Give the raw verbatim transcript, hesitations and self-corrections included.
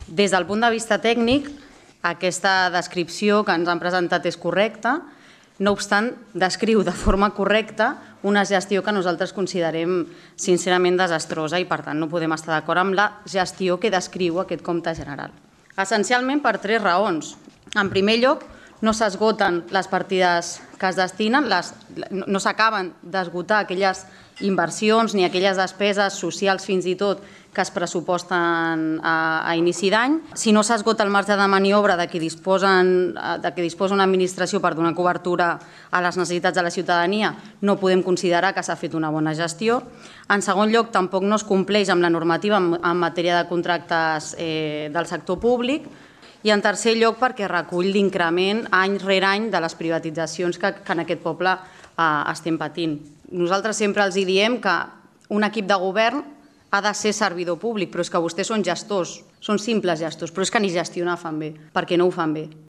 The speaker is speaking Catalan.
Des del punt de vista tècnic, aquesta descripció que ens han presentat és correcta, no obstant, descriu de forma correcta una gestió que nosaltres considerem sincerament desastrosa i, per tant, no podem estar d'acord amb la gestió que descriu aquest compte general. Essencialment per tres raons. En primer lloc, no s'esgoten les partides que es destinen, les, no s'acaben d'esgotar aquelles inversions ni aquelles despeses socials fins i tot que es pressuposten a, a inici d'any. Si no s'esgota el marge de maniobra de què disposen, de què disposa una administració per donar cobertura a les necessitats de la ciutadania, no podem considerar que s'ha fet una bona gestió. En segon lloc, tampoc no es compleix amb la normativa en, en matèria de contractes eh, del sector públic. I en tercer lloc, perquè recull l'increment any rere any de les privatitzacions que, que en aquest poble eh, estem patint. Nosaltres sempre els diem que un equip de govern ha de ser servidor públic, però és que vostès són gestors, són simples gestors, però és que ni gestionar fan bé, perquè no ho fan bé.